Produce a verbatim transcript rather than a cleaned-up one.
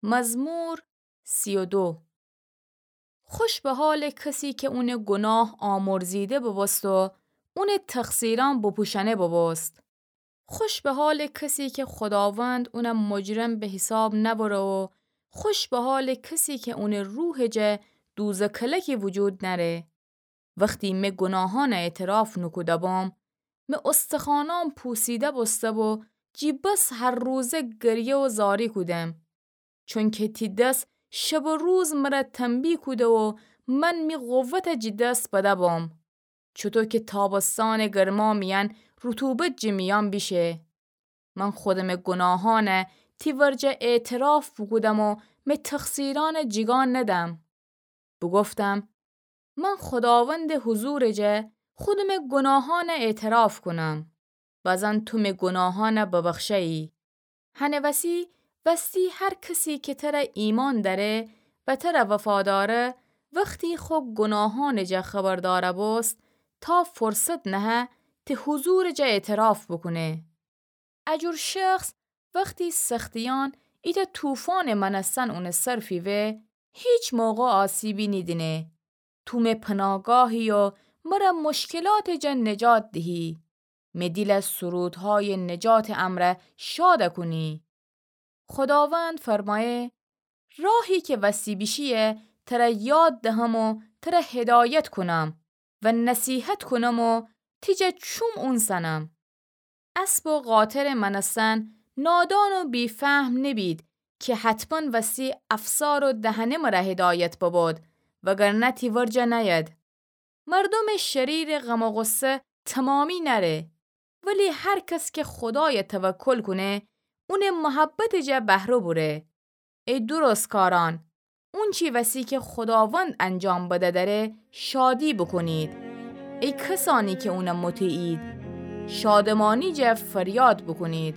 مزمور سی و دو. خوش به حالٚ کسی که اونٚ گناه آمرزیده ببوست و اونٚ تقصیرأن بپوشأنه ببوست. خوش به حالٚ کسی که خوداوند اونَ مجرم به حساب نأوره و خوش به حالٚ کسی که اونٚ روحٚ جا دوزه کلکی وجود نأره. وختی مه گناهانَ اعتراف نوکوده بام، مه استخوانأن پوسیده بوسته و جی بس هر روزه گریه و زاری کودم. چونکه تی دس شب و روز مره تنبیه کوده و من می قوتَ جی دس بده بام. چوطو که تابستانٚ گرما میأن رطوبت جی میأن بیشه. من خودمٚ گناهانَ تی ورجه اعتراف بوکودم و مه تقصیرأنَ جیگا ندم. بوگفتم، من خوداوندٚ حضورٚ جا خودمٚ گناهانَ اعتراف کونم. بزن تو مه گناهانَ ببخشه‌یی. هنٚ وسی وستی هر کسی که تره ایمأن دأره و تره وفاداره، وختی خو گناهانٚ جا خبر داره بوست، تا فرصت نهه تی حضورٚ جا اعتراف بوکونه. اجور شخص وختی سختیأن ایتأ طوفانٚ مأنستن اونٚ سر فیوه، هیچ موقع آسیبی نیدینه. تو مه پناهگاهی و مره مشکلاتٚ جا نجات دهی. مه دیلَ سرودهایٚ نجاتٚ امرأ شادَ کونی. خوداوند فرمأیه، راهی که وستی بیشیی تره یاد دهم و تره هدایت کونم و نصیحت کونم و تی جا چوم اونسنم. اسب و قاطرٚ مأنستن نادان و بی‌فهم نبید که حتماً وستی افسار و دهنه مره هدایت ببود، وگرنه تی ورجه نأید. مردومٚ شریرٚ غم و غصه تمامی نأره، ولی هر کس که خودایَ توکل کونه، اونٚ محبتٚ جا بهره بوره. ای درستکارأن، اونچی وسی که خوداوند انجام بده دره، شادی بوکونید. ای کسأنی که اونَ مطیعید، شادمانی جا فریاد بوکونید.